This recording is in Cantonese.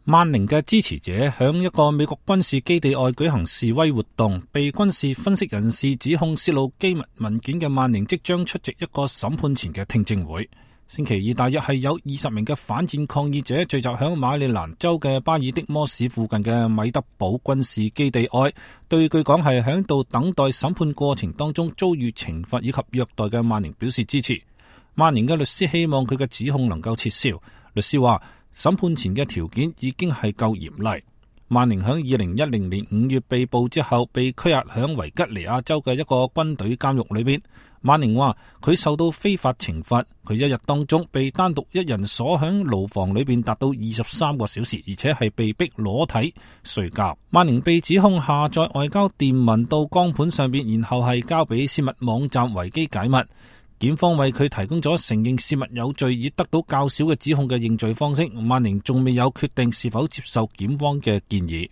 曼寧嘅支持者響一個美國軍事基地外舉行示威活動，被軍事分析人士指控泄露機密文件嘅曼寧即將出席一個審判前嘅聽證會。星期二大約係有20名嘅反戰抗議者聚集響馬里蘭州嘅巴爾的摩市附近嘅米德堡軍事基地外，對據講係響度等待審判過程當中遭遇懲罰以及虐待嘅曼寧表示支持。曼寧嘅律師希望佢嘅指控能夠撤銷。律師話，審判前嘅條件已經係夠嚴厲。曼寧響2010年5月被捕之後，被拘押響維吉尼亞州嘅一個軍隊監獄裏邊。曼寧話佢受到非法懲罰，佢一日當中被單獨一人鎖響牢房裏邊達到23個小時，而且係被逼裸體睡覺。曼寧被指控下載外交電文到光盤上邊，然後係交俾泄密網站維基解密。檢方為佢提供咗承認泄密有罪以得到較少嘅指控嘅認罪方式。曼寧仲未有決定是否接受檢方嘅建議。